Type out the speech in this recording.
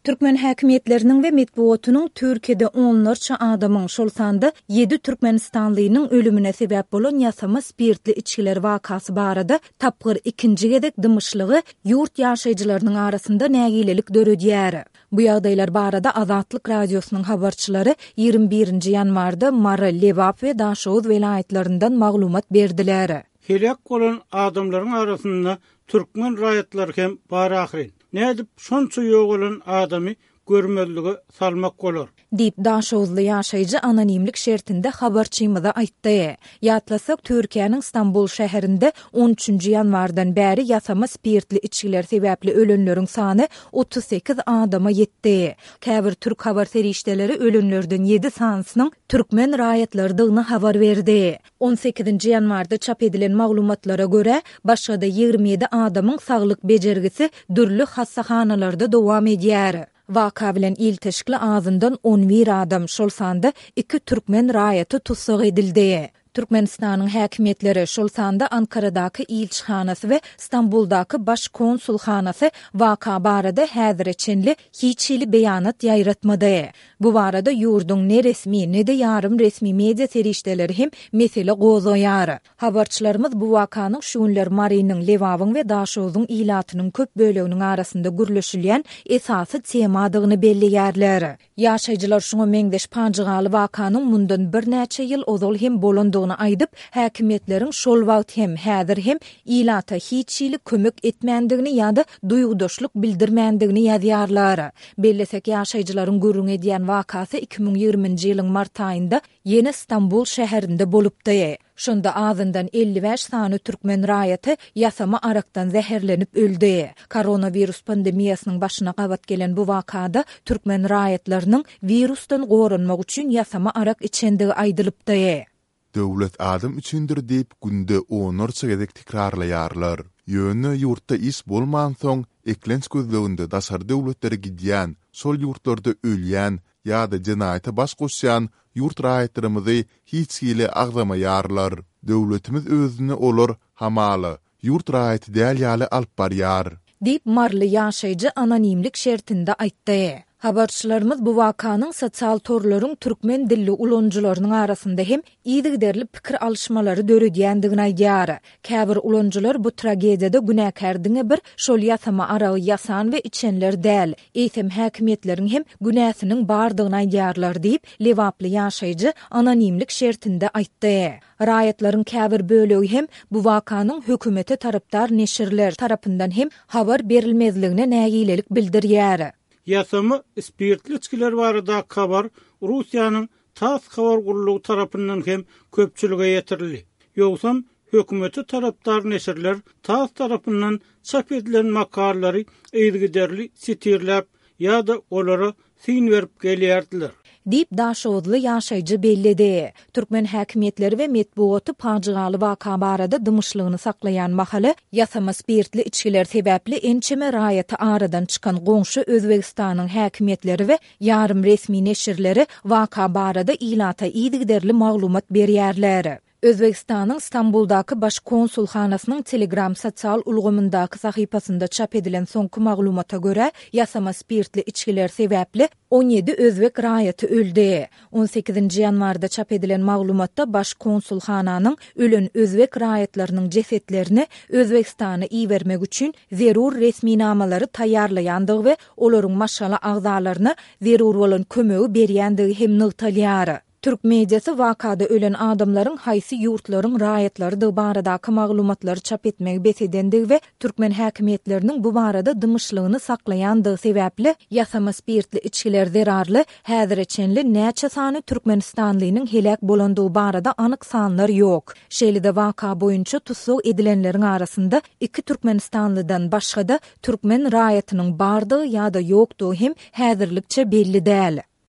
Türkmen häkimiýetleriniň we metbugatynyň Türkiýede onlarça adamyň, şol sanda ýedi türkmenistanlynyň ölümine sebäp bolan ýasama spirtli içgiler wakasy barada tapgyr ikinji gezek dymyşlygy ýurt ýaşaýjylarynyň arasynda nägilelik döredýär. Bu ýagdaýlar barada Azatlyk Radiosynyň habarçylary 21-nji ýanwarda Mary, Lebap we Daşoguz welaýatlaryndan maglumat berdiler. Heläk bolan adamlaryň arasynda türkmen raýatlary hem bar ahyryn. Nädip şonça ýogalan adamy görmezlige salmak bolar? Diýip, daşoguzly ýaşaýjy anonimlik şertinde habarçymyza aýtdy. Ýatlasak, Türkiýäniň Stambul şäherinde on üçünji ýanwardan bäri ýasama spirtli içgiler sebäpli ölenleriň sany 38 adama ýetdi. Käbir türk habar serişdeleri ölenlerden ýedi sanysynyň türkmen raýatlarydygyny habar berdi. On sekizinji ýanwarda çap edilen maglumatlara görä, başga-da 27 adamyň saglyk bejergisi dürli hassahanalarda dowam edýär. Waka bilen ilteşikli azyndan on bir adam, şol sanda iki türkmen raýaty tussag edildi. Türkmenistanyň häkimiýetleri, şol sanda Ankaradaky ilçihanasy we Stambuldaky Baş konsulhanasy waka barada häzire çenli hiç hili beýanat ýaýratmady. Bu barada ýurduň ne resmi, ne-de ýarym resmi media serişdeleri hem mesele gozgaýar. Habarçylarymyz bu wakanyň şu günler Marynyň, Lebabyň we Daşogzuň ilatynyň köp böleginiň arasynda gürleşilýän esasy temadygyny belleýärler. Ýaşaýjylar şuňa meňzeş pajygaly wakanyň mundan birnäçe ýyl ozal hem bolandygyny aýdyp, häkimiýetleriň şol wagt hem, häzir hem ilata hiç hili kömek etmändigini ýa-da duýgudaşlyk bildirmändigini ýazýarlar. Bellesek, ýaşaýjylaryň gürrüň edýän wakasy 2020-nji ýylyň mart aýynda ýene Stambul şäherinde bolupdy. Şonda azyndan 55 sany türkmen raýaty ýasama arakdan zäherlenip öldi. Koronawirus pandemiýasynyň başyna gabat gelen bu wakada türkmen raýatlarynyň wirusdan goranmak üçin ýasama arak içendigi aýdylypdy. Döwlet adam üçindir diýip günde onlarça gezek tekrarlaýarlar. Ýöne ýurtda iş bolmansoň, eklenç gözleginde daşary döwletlere gidýän, şol ýurtlarda ölýän ýa-da jenaýata baş goşýan ýurt raýatlarymyzy hiç hili agzamaýarlar. Döwletimiz özüni olar, hamala, ýurt raýaty däl ýaly alyp barýar. Diýip, maryly ýaşaýjy anonimlik şertinde aýtdy. Habarçylarymyz bu wakanyň sosial torlaryň türkmen dilli ulanyjylarynyň arasynda hem yzygiderli pikir alyşmalary döredýändigini aýdýar. Käbir ulanyjylar bu tragediýada günäkär diňe bir şol ýasama aragy ýasan we içenler däl, eýsem häkimiýetleriň hem günäsiniň bardygyny aýdýarlar diýip, lebaply ýaşaýjy anonimlik şertinde aýtdy. Raýatlaryň käbir bölegi hem bu wakanyň hökümete tarapdar neşirler tarapyndan hem habar berilmezligine nägilelik bildirýär. Ýasama spirtli içgiler baradaky habar Russiýanyň tass habar gullugy tarapyndan hem köpçülige ýetirildi. Ýogsam, hökümete tarapdar neşirler tass tarapyndan çap edilen makalalary yzygiderli sitirläp ýa-da olara syn berip gelýärdiler. Diýip, daşoguzly ýaşaýjy belledi. Türkmen häkimiýetleri we metbugaty pajygaly waka barada dymyşlygyny saklaýan mahaly, ýasama spirtli içgiler sebäpli ençeme raýaty aradan çykan goňşy Özbegistanyň häkimiýetleri we ýarym resmi neşirleri waka barada ilata yzygiderli maglumat berýärler. Özbegistanyň Stambuldaky Baş konsulhanasynyň Telegram sosial ulgamyndaky sahypasynda çap edilen soňky maglumata görä, ýasama spirtli içgiler sebäpli 17 özbek raýaty öldi. On sekizinji ýanwarda çap edilen maglumatda Baş konsulhananyň ölen özbek raýatlarynyň jesetlerini Özbegistana ibermek üçin zerur resminamalary taýýarlaýandygy we olaryň maşgala agzalaryna zerur bolan kömegi berýändigi hem nygtalýar. Türk mediasy wakada ölen adamlaryň haýsy ýurtlaryň raýatlarydygy baradaky maglumatlary çap etmegi bes edendigi we türkmen häkimiýetleriniň bu barada dymyşlygyny saklaýandygy sebäpli ýasama spirtli içgiler zerarly häzire çenli näçe sany türkmenistanlynyň heläk bolandygy barada anyk sanlar ýok. Şeýle-de waka boýunça tussag edilenleriň arasynda iki türkmenistanlydan başga-da türkmen raýatynyň bardygy ýa-da ýokdugy hem häzirlikçe belli däl.